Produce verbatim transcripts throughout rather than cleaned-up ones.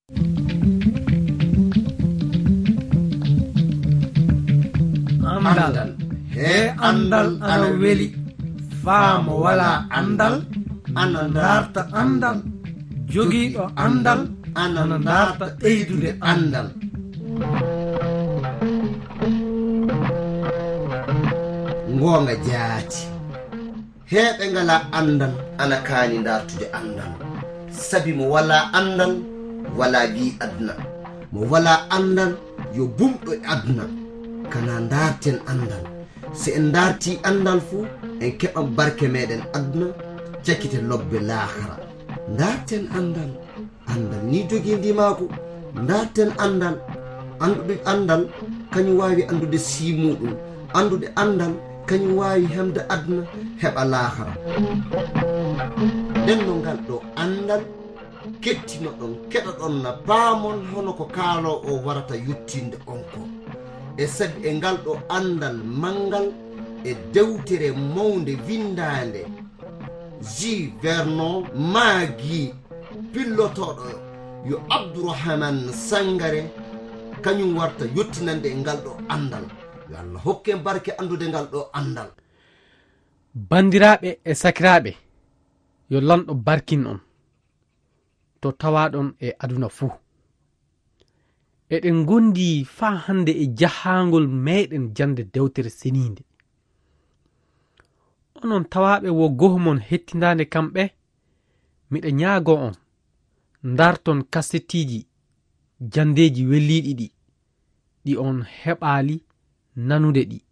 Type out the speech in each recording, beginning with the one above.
Anndal. He anndal ana weli. Faa mo walaa anndal, ana ndaarta anndal. Jogiiɗo anndal, ana ndaarta ɓeydude anndal. Ngoonga jaati. Heɓe ngalaa anndal, ana kaani ndaartude anndal. Sabi mo walaa anndal, walaa gii aduna. Mo walaa anndal, yo bumɗo e aduna. Kana ndaarten anndal. Si en ndaartii anndal fu, en keɓan barke meɗen aduna, cakite lobbe laakara. Ndaarten anndal. Anndal ni jogii ndimaagu. Ndaarten anndal. Anndude anndal, kañum waawi anndude sii muuɗum. Anndude anndal, kañum waawi hemde aduna, heɓa laakara. Nden no ngal ɗo anndal, kettinoɗon, keɗoɗon na paamon hono ko kaaloowo o warata yottinde on ko. E sabi e ngal ɗo anndal manngal e dewtere mawnde winndaande, J. Vernon Maggi, pillotooɗo yo Abdourahmane Sangare, kañum warta yottinande e ngal ɗo anndal. Yo Allah hokke en barke anndude ngal ɗo anndal. Banndiraaɓe e sakiraaɓe, yo Lanɗo barkin on, to tawaaɗon e aduna fuu. Eɗen ngondi faa hannde e jahaangol meɗen jannde dewtere seniinde. Onon tawaaɓe wo goho mon hettindaande kamɓe, miɗa ñaagoo on, ndarton kasettiiji janndeeji welliiɗi ɗi, ɗi on heɓaali nanude ɗi.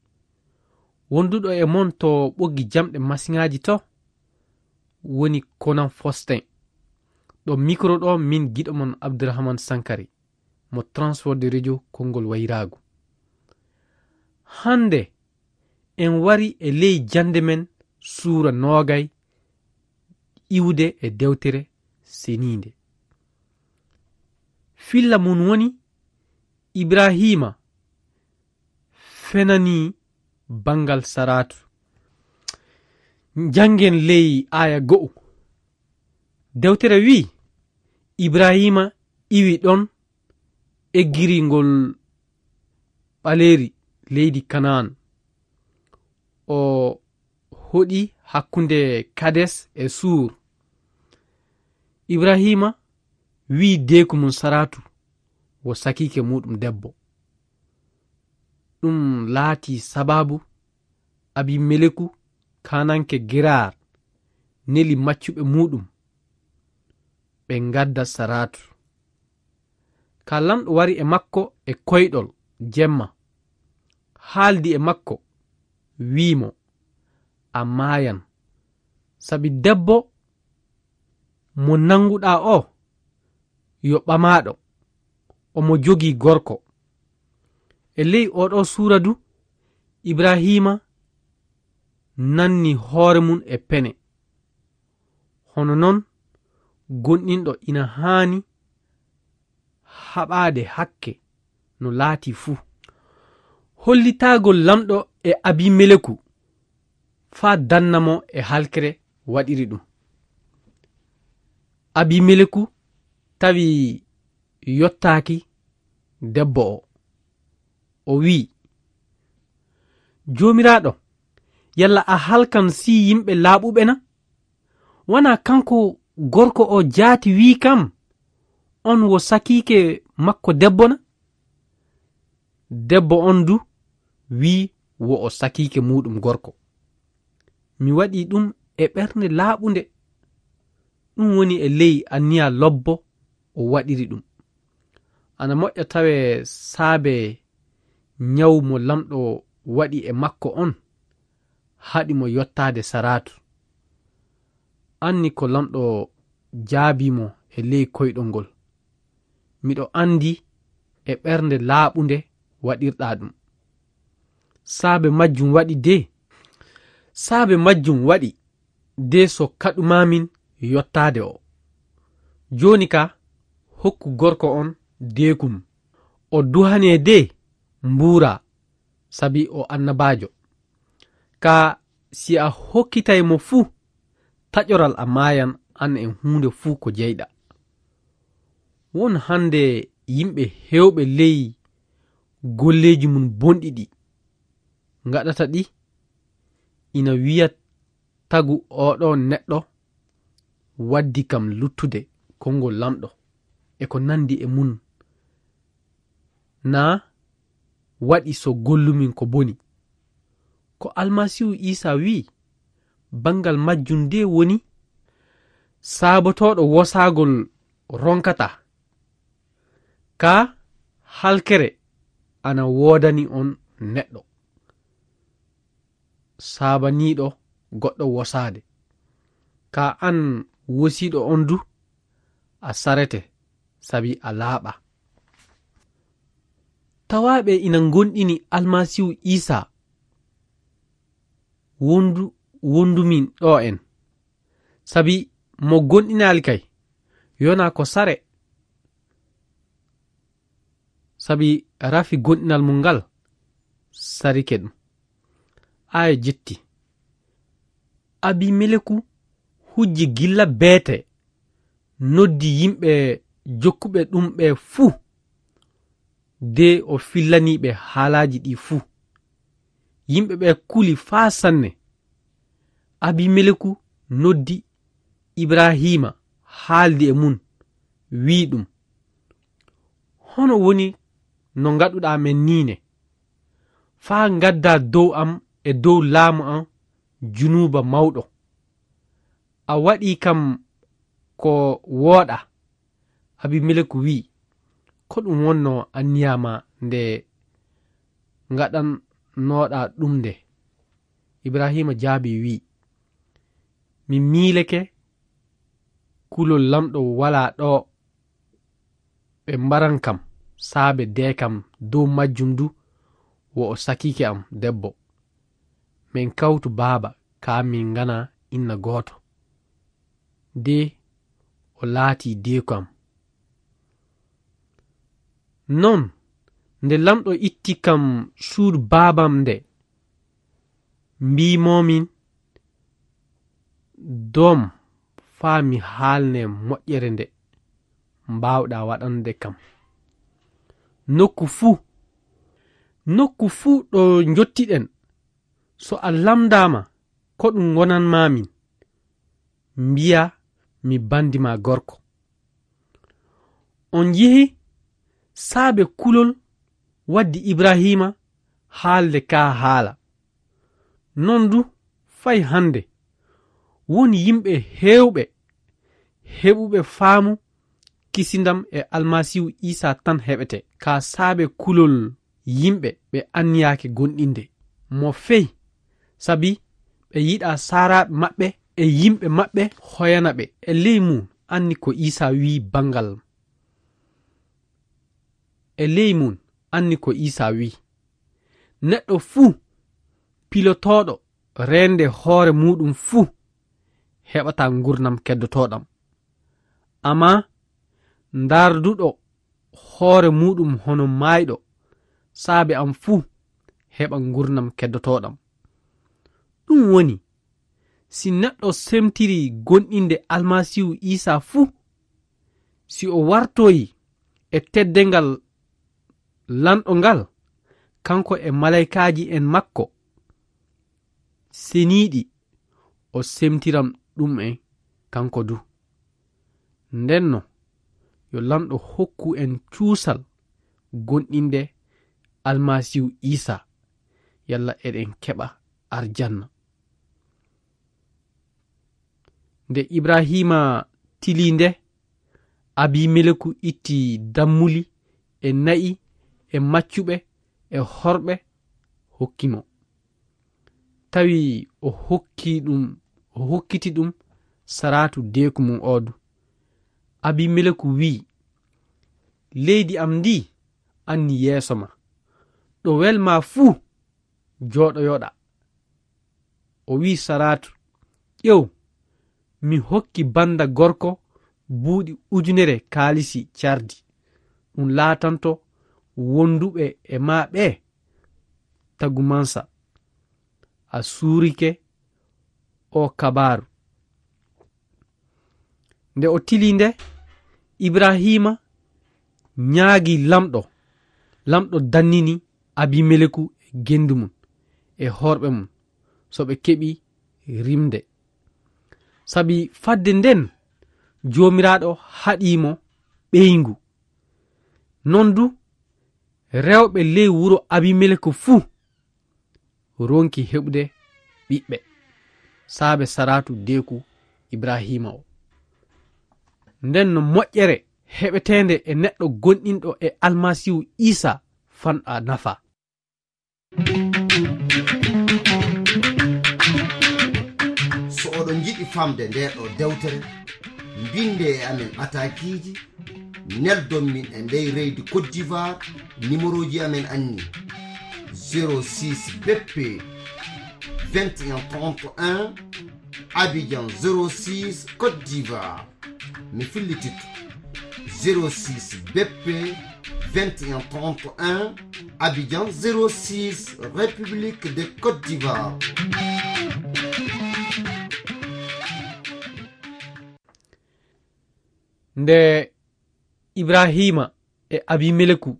Wonduɗo e mon to ɓoggi jamɗe masiŋaaji to, woni Konan Fostin. Ɗo mikro ɗo min giɗo mon Abdourahmane Sankari, mo Transworld Radio konngol wayraagu. Hannde en wari e ley jannde men suura noogay iwde e dewtere seniinde. Filla mun woni Ibraahiima fenanii banngal Saraatu. Njanngen ley aaya go'o. Dewtere wi'i, Ibraahiima iwi ɗon eggiri ngol ɓaleeri leydi Kanaan. O hoɗi hakkunde Kades e Suur. Ibraahiima wi'i deeku mum Saraatu wo sakiike muuɗum debbo. Ɗum laatii sabaabu Abimeleku, kaananke Geraar, neli maccuɓe muuɗum, ɓe ngadda Saraatu. Ka Lanɗo wari e makko e koyɗol jemma, haaldi e makko, wi'i mo, "A maayan, sabi debbo mo nannguɗaa o, yo ɓamaaɗo, omo jogii gorko." E ley oo ɗoo suura du, Ibraahiima nanni hoore mum e pene. Hono non, gonɗinɗo ina haani haɓaade hakke no laatii fuu. Hollitaagol Lanɗo e Abimeleku faa danna mo e halkere waɗiri ɗum. Abimeleku tawi yottaaki debbo o. O wi'i, "Joomiraaɗo, yalla a halkan sii yimɓe laaɓuɓe na? Wanaa kanko gorko o jaati wi'i kam, on wo sakiike makko debbo na?" Debbo on du wi'i wo o sakiike muuɗum gorko. Mi waɗii ɗum e ɓernde laaɓunde. Ɗum woni e ley anniya lobbo o waɗiri ɗum. Ana moƴƴa tawee saabe ñaw mo Lanɗo waɗi e makko on haɗi mo yottaade Saraatu. Anni ko Lanɗo jaabii mo e ley koyɗol ngol. Miɗo anndi e ɓernde laaɓunde waɗirɗaa ɗum. Saabe majjum waɗi de, saabe majjum waɗi de so kaɗumaamin yottaade o. Jooni ka, hokku gorko on deekum. O duhanee de mbuuraa, sabi o annabaajo. Ka si a hokkitay mo fuu, taƴoral a maayan an e huunde fuu ko jeyɗaa. Won hannde yimɓe heewɓe ley golleeji mum bonɗi ɗi ngaɗata ɗi, ina wiya tagu oɗo neɗɗo waddi kam luttude konngol Laamɗo e ko nanndi e mum, naa waɗi so gollumin ko boni. Ko Almasiihu Iisaa wi'i, banngal majjum de woni, saabotooɗo wosaagol ronkata. Kaa halkere ana woodani on neɗɗo saabaniiɗo goɗɗo wosaade. Kaa an wosiiɗo on du, a sarete, sabi a laaɓa. Tawaaɓe ina ngonɗini Almasiihu Iisaa wondu, wondumin ɗo en. Sabi mo gonɗinaali kay, yona ko sare. Sabi rafi gonɗinal mum ngal sarike ɗum. Aya jetti. Abimeleku hujji gilla beete, noddi yimɓe jokkuɓe ɗum ɓe fuu, de o fillanii ɓe haalaaji ɗi fuu. Yimɓe ɓe kuli faa sanne. Abimeleku noddi Ibrahiima, haaldi e mum, wi'i ɗum, "Hono woni no ngaɗuɗaa men nii ne, faa ngaddaa dow am e dow laamu am junuuba mawɗo? A waɗii kam ko wooɗaa." Abimeleku wi'i, "Ko ɗum wonnoo anniya maa nde ngaɗannoɗaa ɗum nde?" Ibrahiima jaabii, wi'i, "Mi miileke kulol Laamɗo walaa ɗo ɓe mbaran kam saabe de kam dow majjum du, wo o sakiike am debbo. Min kawtu baaba, kaa min ngana inna gooto. De o laatii deeku am. Non, nde Laamɗo itti kam suudu baabam nde, mbiimoomin, doom faa mi haalne moƴƴere nde mbaawɗaa waɗande kam. Nokku fuu, nokku fuu ɗo njottiɗen, so a lamndaama ko ɗum ngonanmaamin, mbiyaa mi banndi maa gorko." On njihi saabe kulol waddi Ibrahiima haalde kaa haala. Non du, fay hannde, won yimɓe heewɓe heɓuɓe faamu kisindam e Almasiihu Iisaa tan heɓete, kaa saabe kulol yimɓe ɓe anniyaaki gonɗinde mo fey, sabi ɓe yiɗaa saaraaɓe maɓɓe e yimɓe maɓɓe hoyana ɓe. E ley mum anni ko Iisaa wi'i banngal. E ley mum anni ko Iisaa wi'i, "Neɗɗo fuu pilotooɗo reende hoore muuɗum fuu heɓataa ngurnam keddotooɗam. Ammaa ndaarduɗo hoore muuɗum hono maayɗo saabe am fuu heɓa ngurnam keddotooɗam." Ɗum woni, si neɗɗo semtiri gonɗinde Almasiihu Iisaa fuu, si o wartoyi e teddengal lanɗo ngal, kanko e malaykaaji en makko seniiɗi, o semtiram ɗum en kanko du. Ndenno, yo Lanɗo hokku en cuusal gonɗinde Almasiihu Iisaa, yalla eɗen keɓa arjanna. Nde Ibrahiima tilii nde, Abimeleku itti dammuli e na'i e maccuɓe e horɓe hokki mo. Tawi o hokki ɗum, o hokkiti ɗum Saraatu deeku mum oo du. Abimeleku wi'i, "Leydi am ndii anni yeeso ma. Ɗo welmaa fuu jooɗoyoɗaa." O wi'i Saraatu, "Ƴeew, mi hokki bannda gorko buuɗi ujunere kaalisi cardi. Ɗum laatanto wonduɓe e maa ɓee tagumansa." A suurike oo kabaaru. Nde o tilii nde, Ibrahiima ñaagi lamɗo. Lamɗo dannini Abimeleku e gendu mum e horɓe mum, so ɓe keɓi rimde. Sabi fadde nden, Joomiraaɗo haɗii mo ɓeyngu. Non du, rewɓe ley wuro Abimeleku fuu ronki heɓude ɓiɓɓe, saabe Saraatu deeku Ibrahiima o. Nden no moƴƴere heɓeteende e neɗɗo gonɗinɗo e Almasiihu Iisaa fanɗa nafa. So oɗon njiɗi famde nde ɗo dewtere, mbinde e amen atakiiji, neldon min e ndey reydi Côte d'Ivoire, numéroji amen anni: zéro six B P vingt et un trente et un, Abidjan zéro six, Côte d'Ivoire. Mi fillititto: zéro six B P vingt et un trente et un, Abidjan zéro six, République de Côte d'Ivoire. Nde Ibrahiima e Abimeleku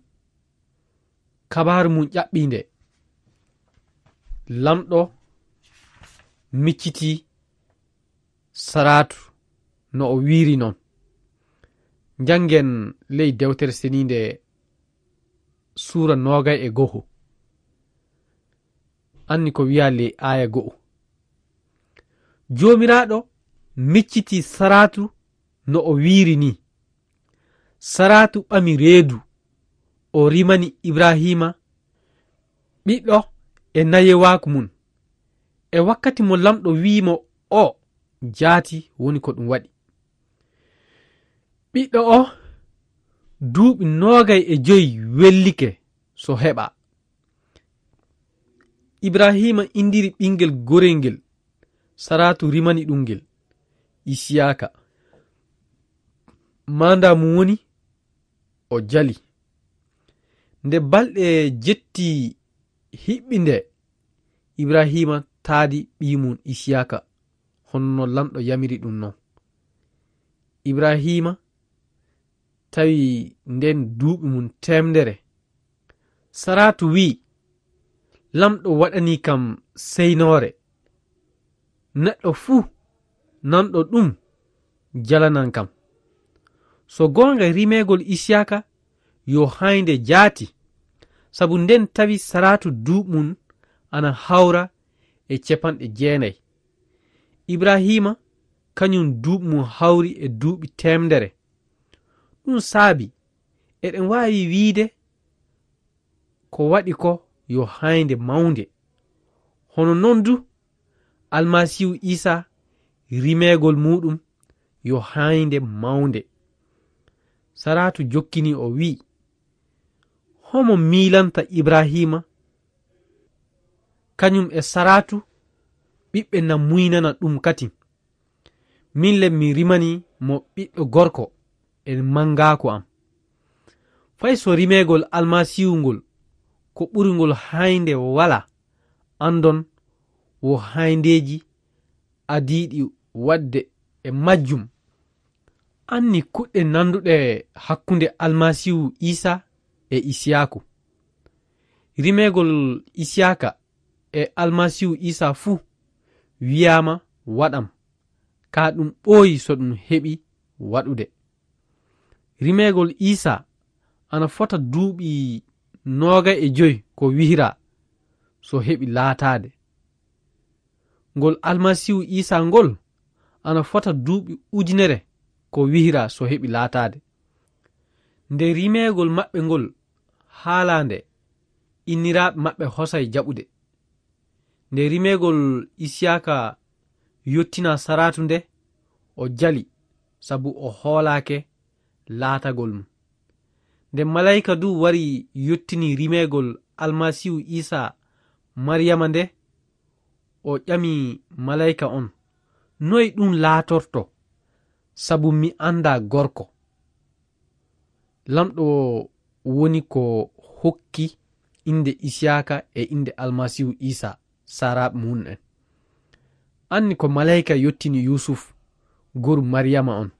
kabaaru mum ƴaɓɓii nde, lamɗo miccitii Saraatu no o wiiri non. Njanngen ley dewtere seniinde suura noogay e go'o. Anni ko wi'a ley aaya go'o. Joomiraaɗo miccitii Saraatu no o wiiri ni. Saraatu ɓami reedu, o rimani Ibrahiima ɓiɗɗo e nayewaaku mum. E wakkati mo lamɗo wi'i mo o jaati woni ko ɗum waɗi. Ɓiɗɗo o duuɓi noogay e joy wellike so heɓa. Ibrahiima indiri ɓinngel gorel ngel, Saraatu rimani ɗum ngel Isiyaaka. Maanda mum woni o jali. Nde balɗe jetti hiɓɓi nde, Ibrahiima taadi ɓiy mum Isiyaaka, hono no lamɗo yamiri ɗum non. Ibrahiima tawi nden duuɓi mum teemdere. Saraatu wi'i, lamɗo waɗanii kam seynoore. Neɗɗo fuu nanɗo ɗum jalanan kam. So goonga, rimeegol Isiyaaka yo haaynde jaati, sabu nden tawi Saraatu duuɓi mum ana hawra e capanɗe jeenay. Ibrahiima kañum duuɓi mum hawri e duuɓi teemdere. Ɗum saabi eɗen waawi wiide ko waɗi ko yo haaynde mawnde. Hono non du, Almasiihu Iisaa rimeegol muuɗum yo haaynde mawnde. Saraatu jokkini o wi'i, homo miilanta Ibrahiima? Kañum e Saraatu ɓiɓɓe na muynana ɗum katin. Min le mi rimani mo ɓiɗɗo gorko e manngaaku am. Fay so rimeegol Almasiihu ngol ko ɓuri ngol haaynde walaa, anndon wo haayndeeji adiiɗi waɗde e majjum. Anni kuɗɗe nannduɗe hakkunde Almasiihu Iisaa e Isiyaaku. Rimeegol Isiyaaka e Almasiihu Iisaa fuu wiyaama waɗam, kaa ɗum ɓooyi so ɗum heɓi waɗude. Rimeegol Iisaa ana fota duuɓi noogay e joy ko wihiraa so heɓi laataade. Ngol Almasiihu Iisaa ngol ana fota duuɓi ujunere ko wihiraa so heɓi laataade. Nde rimeegol maɓɓe ngol haalaa nde, inniraaɓe maɓɓe hosay jaɓude. Nde rimeegol Isiyaaka yottinaa Saraatu nde, o jali sabu o hoolaake laatagol mum. Nde malayka du wari yottini rimeegol Almasiihu Iisaa Mariyama nde, o ƴami malayka on, noy ɗum laatorto, sabu mi anndaa gorko? Lamɗo woni ko hokki innde Isiyaaka e innde Almasiihu Iisaa, saaraaɓe mum en. Anni ko malayka yottini Yuusuf, goru Mariyama on.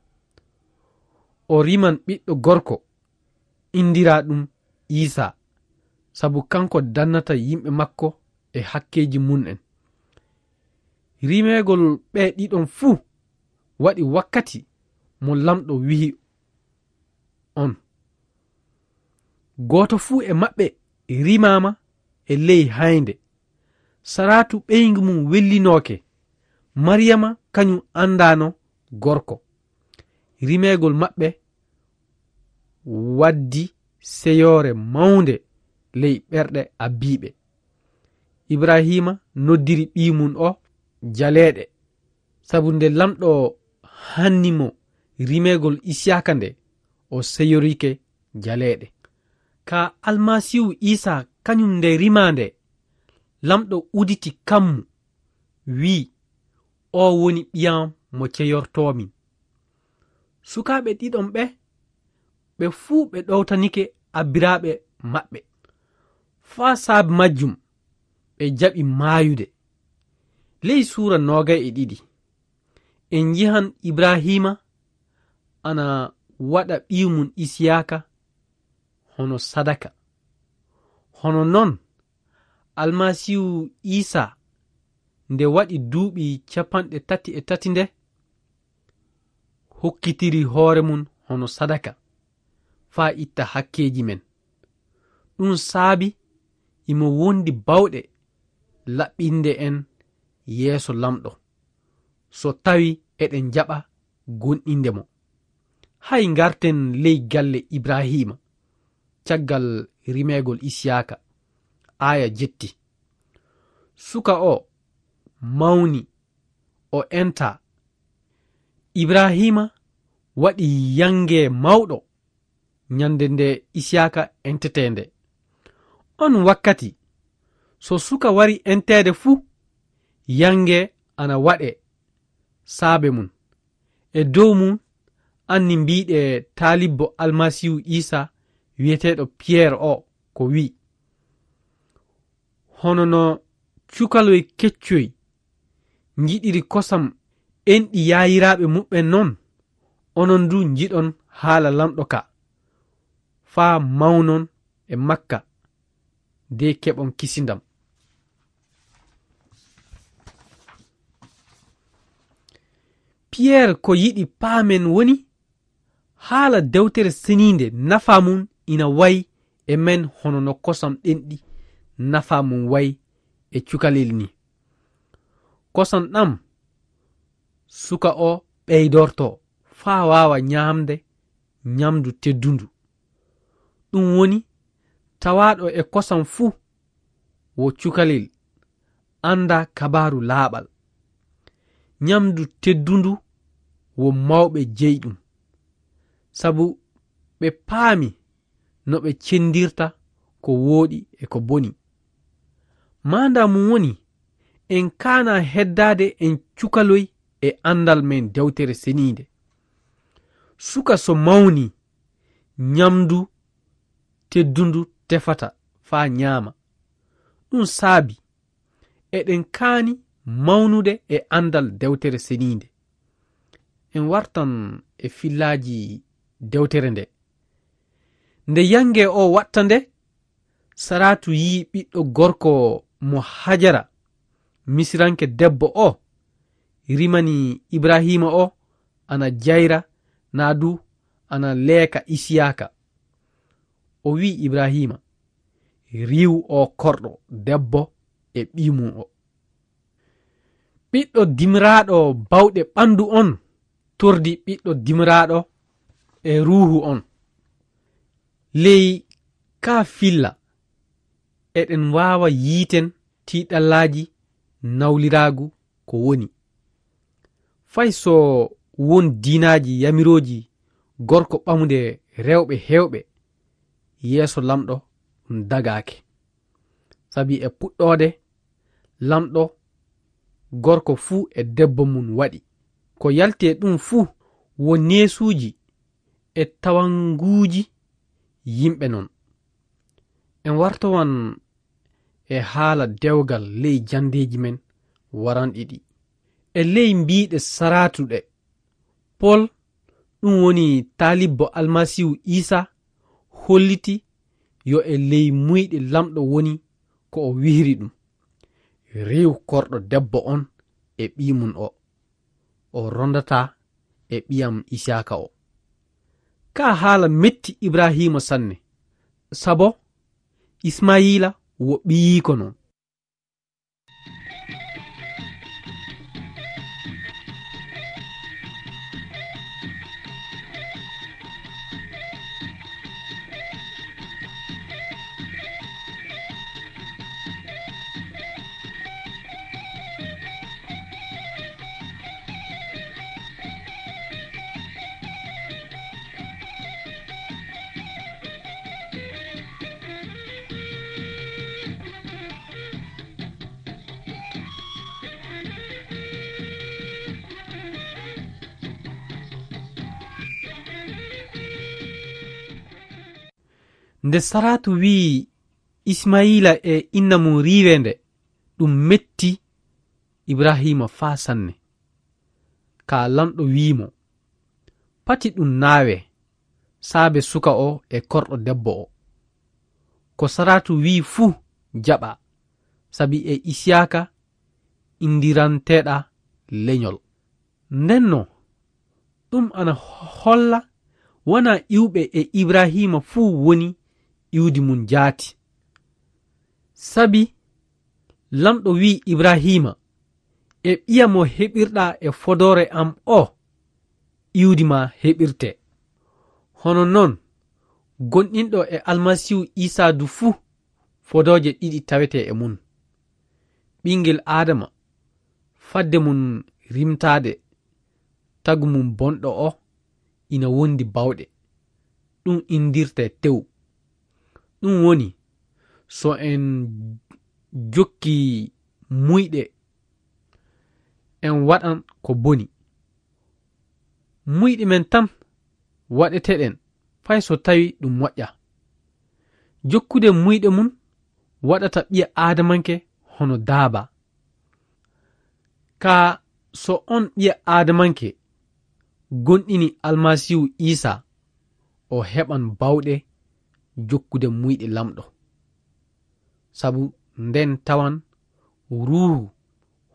O riman ɓiɗɗo gorko, Inndiraa ɗum Iisaa, sabu kanko dannata yimɓe makko e hakkeeji mum'en. Rimeegol ɓe ɗiɗon fuu waɗi wakkati mo Laamɗo wi'i on. Gooto fuu e maɓɓe rimaama e ley haynde. Saraatu ɓeyngu mum wellinooke. Mariyama kañum anndaano gorko. Rimeegol maɓɓe waddi seyoore mawnde ley ɓerɗe abiiɓe. Ibrahiima noddiri ɓii mum o jaleeɗe, sabu nde Laamɗo hanni mo rimeegol Isiyaaka nde, o seyorike jaleeɗe. Ka Almasiihu Iisaa kañum nde rimaa nde, Laamɗo uditi kammu, wi'i, "Oo woni ɓiyam mo ceyortoomi." Sukaaɓe ɗiɗon ɓe, ɓe fuu ɓe ɗowtanike abbiraaɓe maɓɓe. Faa saabe majjum ɓe jaɓi maayude. Ley suura noogay e ɗiɗi, en nji'an Ibrahiima ana waɗa ɓiy mum Isiyaaka hono sadaka. Hono non, Almasiihu Iisaa, nde waɗi duuɓi capanɗe tati e tati nde, hokkitiri hoore mum hono sadaka, faa itta hakkeeji men. Ɗum saabi imo wondi bawɗe laɓɓinde en yeeso Laamɗo, so tawi eɗen jaɓa gonɗinde mo. Hay ngarten ley galle Ibrahiima, caggal rimeegol Isiyaaka, aaya jetti. Suka o mawni, o entaa. Ibrahiima waɗi yannge mawɗo ñande nde Isiyaaka entetee nde. On wakkati, so suka wari enteede fu, yannge ana waɗe saabe mum. E dow mum, anni mbiiɗe taalibbo Almasiihu Iisaa wi'eteeɗo Piyeer o ko wi'i, "Hono no cukaloy keccoy njiɗiri kosam enɗi yaayiraaɓe muɓɓen non, onon du njiɗon haala Laamɗo ka, faa mawnon e makka, de keɓon kisindam." Piyeer ko yiɗi paamen woni, haala Dewtere Seniinde nafaa mum ina wayi e men hono no kosam ɗenɗi nafaa mum wayi e cukalel ni. Kosam ɗam suka o ɓeydorto faa waawa ñaamde ñamdu teddundu. Ɗum woni, tawaaɗo e kosam fuu wo cukalel, annda kabaaru laaɓal. Ñamdu teddundu wo mawɓe jeyi ɗum, sabu ɓe paami no ɓe cendirta ko wooɗi e ko boni. Maanda mum woni, en kaana heddaade en cukaloy e anndal men Dewtere Seniinde. Suka so mawni, ñamdu teddundu tefata faa ñaama. Ɗum saabi eɗen kaani mawnude e anndal Dewtere Seniinde. En wartan e fillaaji dewtere nde. Nde yannge o watta nde, Saraatu yi'i ɓiɗɗo gorko mo Hajara, Misiranke debbo o rimani Ibrahiima o, ana jayra, naa du ana leeka Isiyaaka. O wi'i Ibrahiima, "Riiw o korɗo debbo e ɓii mum o." Ɓiɗɗo dimiraaɗo bawɗe ɓanndu on tordi ɓiɗɗo dimiraaɗo e ruuhu on. Ley kaa filla, eɗen waawa yiiten tiiɗallaaji nawliraagu ko woni. Fay so won diinaaji yamirooji gorko ɓamude rewɓe heewɓe, yeeso Laamɗo ɗum dagaake. Sabi e puɗɗoode, Laamɗo gorko fuu e debbo mum waɗi. Ko yalti e ɗum fuu wo neesuuji e tawanguuji yimɓe non. En wartowan e haala dewgal ley janndeeji men waranɗi ɗi. E ley mbiiɗe saraatuɗe, Pol, ɗum woni taalibbo Almasiihu Iisaa, holliti yo e ley muyɗe Laamɗo woni ko o wihri ɗum. Riiw korɗo debbo on e ɓii mum o, o rondataa e ɓiyam Isiyaaka o." Kaa haala metti Ibrahiima sanne, sabo Ismayiila wo ɓiyiiko non. Nde Saraatu wi'i Ismayiila e inna mum riiwee nde, ɗum metti Ibrahiima faa sanne. Kaa Laamɗo wi'i mo, "Pati ɗum naawee, saabe suka o e korɗo debbo o. Ko Saraatu wi'i fuu jaɓaa, sabi e Isiyaaka inndiranteeɗaa lenyol." Ndennoo, ɗum ana holla wanaa iwɓe e Ibrahiima fuu woni iwdi mum jaati. Sabi Laamɗo wi'i Ibrahiima, "E ɓiya mo heɓirɗaa e fodoore am o, iwdi maa heɓirte." Hono non, gonɗinɗo e Almasiihu Iisaa du fuu, fodooje ɗiɗi tawetee e mum. Ɓinngel Aadama, fadde mum rimtaade, tagu mum bonɗo o ina wondi bawɗe. Ɗum inndirtee tew. Ɗum woni, so en jokki muyɗe, en waɗan ko boni. Muyɗe men tan waɗeteɗen, fay so tawi ɗum moƴƴa. Jokkude muyɗe mum waɗata ɓiya aadamanke hono daaba. Kaa so on ɓiya aadamanke gonɗini Almasiihu Iisaa, o heɓan bawɗe jokkude muyɗe Laamɗo. Sabu nden tawan Ruuhu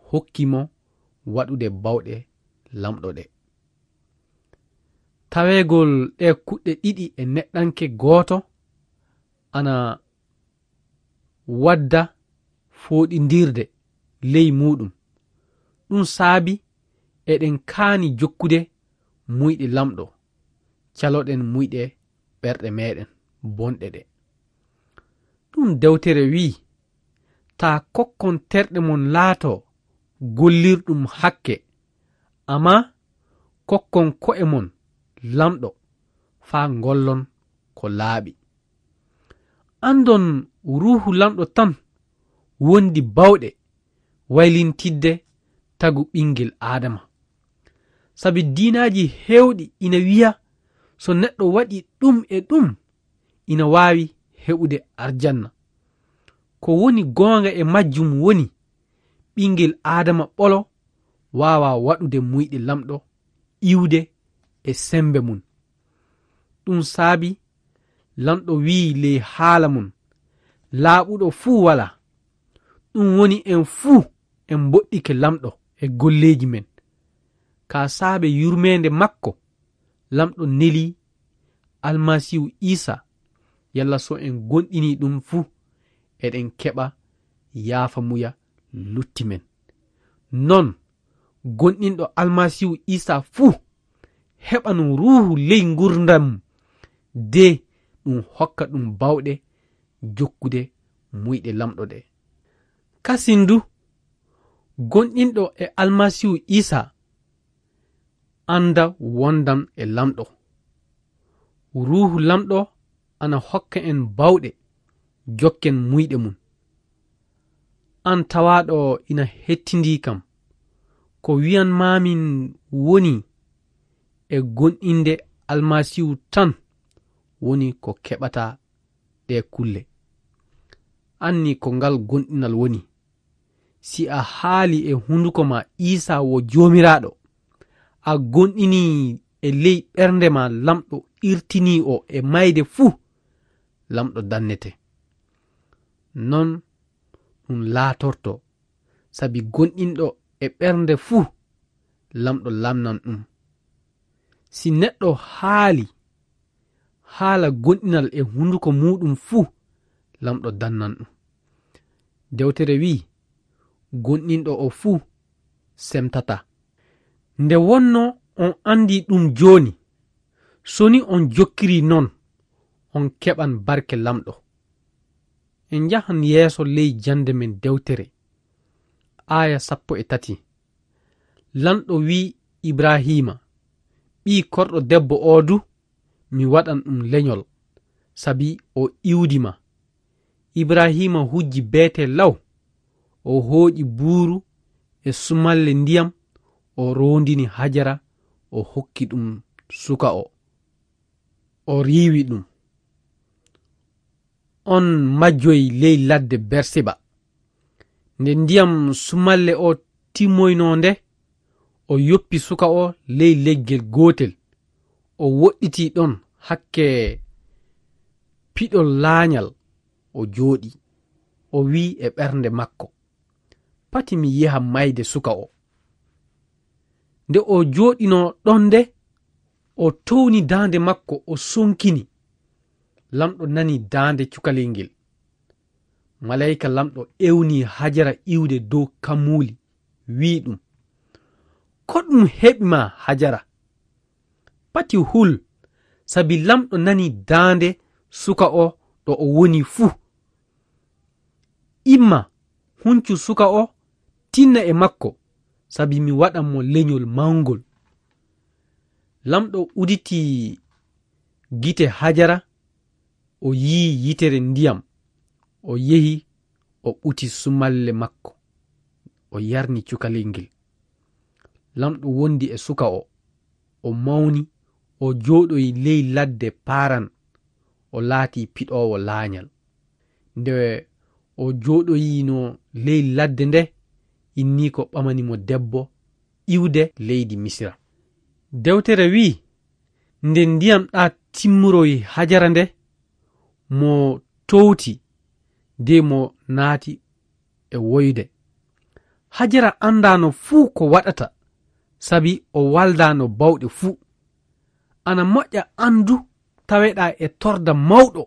hokki mo waɗude bawɗe Laamɗo ɗe. Taweegol ɗe kuɗɗe ɗiɗi e neɗɗanke gooto ana wadda fooɗindirde ley muuɗum. Ɗum saabi eɗen kaani jokkude muyɗe Laamɗo, caloɗen muyɗe ɓerɗe meeɗen bonɗe ɗe. Ɗum dewtere wi'i, "Taa kokkon terɗe mon laatoo gollirɗum hakke, ammaa kokkon ko'e mon Laamɗo faa ngollon ko laaɓi." Anndon Ruuhu Laamɗo tan wondi bawɗe waylintidde tagu ɓinngel Aadama. Sabi diinaaji heewɗi ina wi'a so neɗɗo waɗi ɗum e ɗum, ina waawi heɓude arjanna. Ko woni goonga e majjum woni, ɓinngel Aadama ɓolo waawaa waɗude muyɗe Laamɗo iwde e semmbe mum. Ɗum saabi Laamɗo wi'i ley haala mum, "Laaɓuɗo fuu walaa." Ɗum woni en fuu en mboɗɗike Laamɗo e golleeji men. Kaa saabe yurmeende makko, Laamɗo neli Almasiihu Iisaa, yalla so en gonɗinii ɗum fuu, eɗen keɓa yaafamuya lutti men. Non, gonɗinɗo Almasiihu Iisaa fuu, heɓan Ruuhu ley ngurndan mum, de ɗum hokka ɗum bawɗe jokkude muyɗe Laamɗo ɗe. Kasin du, gonɗinɗo e Almasiihu Iisaa annda wondan e Laamɗo. Ruuhu Laamɗo ana hokka en bawɗe jokken muyɗe mum. Aan tawaaɗo ina hettindii kam, ko wi'anmaamin woni e gonɗinde Almasiihu tan woni ko keɓata ɗee kulle. Anni ko ngal gonɗinal woni. Si a haali e hunduko ma Iisaa wo Joomiraaɗo, a gonɗinii e ley ɓernde ma Laamɗo irtinii o e mayde fuu, Lamɗo dannete. Non ɗum laatorto, sabi gonɗinɗo e ɓernde fuu, Lamɗo lamnan ɗum. Si neɗɗo haali haala gonɗinal e hunduko muuɗum fuu, Lamɗo dannan ɗum. Dewtere wi'i, "Gonɗinɗo o fuu semtataa." Nde wonno on anndi ɗum jooni, so ni on jokkiri non, on keɓan barke Lamɗo. En njahan yeeso ley jannde men dewtere, aaya sappo e tati. Lanɗo wi'i Ibrahiima, "Ɓii korɗo debbo oo du, mi waɗan ɗum lenyol, sabi o iwdi ma." Ibrahiima hujji beetee law, o hooƴi buuru e sumalle ndiyam, o roondini Hajara, o hokki ɗum suka o. O riiwi ɗum. On majjoyi ley ladde Bersiba. Nde ndiyam sumalle o timmoynoo nde, o yoppi suka o ley leggel gootel. O woɗɗitii ɗon hakke piɗol laanyal, o jooɗii. O wi'i e ɓernde makko, "Pati mi yeha mayde suka o." Nde o jooɗinoo ɗon nde, o towni daande makko, o sonkini. Lamɗo nani daande cukalel ngel. Maleyka Lamɗo ewni Hajara iwde dow kammuuli, wi'i ɗum, "Ko ɗum heɓi ma, Hajara? Pati hul, sabi Lamɗo nani daande suka o ɗo o woni fuu. Imma, huncu suka o, tinna e makko, sabi mi waɗan mo lenyol mawngol." Lamɗo uditi gite Hajara, o yi'i yitere ndiyam, o yehi, o ɓuti sumalle makko, o yarni cukalel ngel. Lamɗo wondi e suka o, o mawni, o jooɗoyi ley ladde Paran, o laati piɗoowo laanyal. Nde o jooɗoyino ley ladde nde, inniiko ɓamani mo debbo iwde leydi Misira. Dewtere wi'i, nde ndiyam ɗaa timmuroyi Hajara nde, mo towti de mo naati e woyde. Hajara anndaano fuu ko waɗata, sabi o waldaano bawɗe fuu. Ana moƴƴa aan du taweɗaa e torda mawɗo,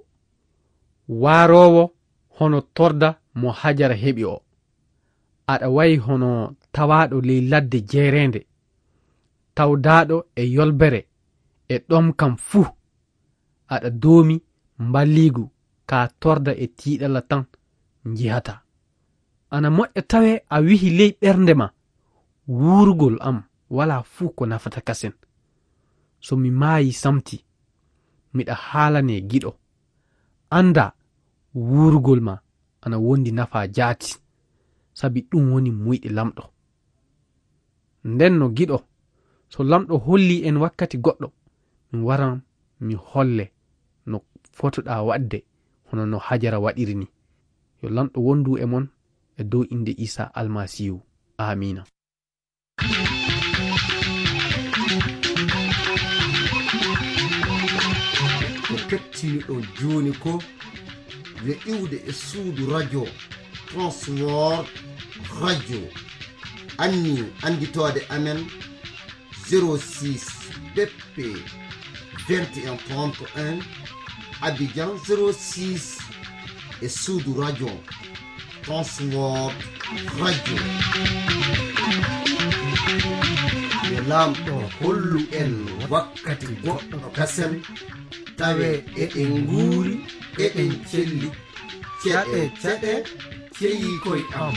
waaroowo hono torda mo Hajara heɓi o. Aɗa wayi hono tawaaɗo ley ladde jeereende, tawdaaɗo e yolbere e ɗomkam fuu. Aɗa doomi mballiigu ka torda e tiiɗalla tan njihataa. Ana moƴƴa tawee a wihi ley ɓernde ma, "Wuurugol am walaa fuu ko nafata kasen. So mi maayi samti, miɗa haalanee giɗo." Anndaa, wuurugol ma ana wondi nafaa jaati, sabi ɗum woni muyɗe Lamɗo. Nden no giɗo, so Lamɗo hollii en wakkati goɗɗo, min waran mi holle no fotoɗaa waɗde, hono no Hajara waɗiri ni. Yo Lamɗo wondu e mon e dow innde Iisaa Almasiihu. Aamiina. Ko kettiniɗon jooni ko yo iwde e suudu radio Transworld Radio. Anni annditoode amen zéro six B P vingt et un trente et un, Abidjan zéro six e suudu radio Transworld Radio. Yo Laamɗo hollu en wakkati goɗɗo kasen, tawe eɗen nguuri, eɗen celli. Ceɗe, ceɗe, ceyi koy am.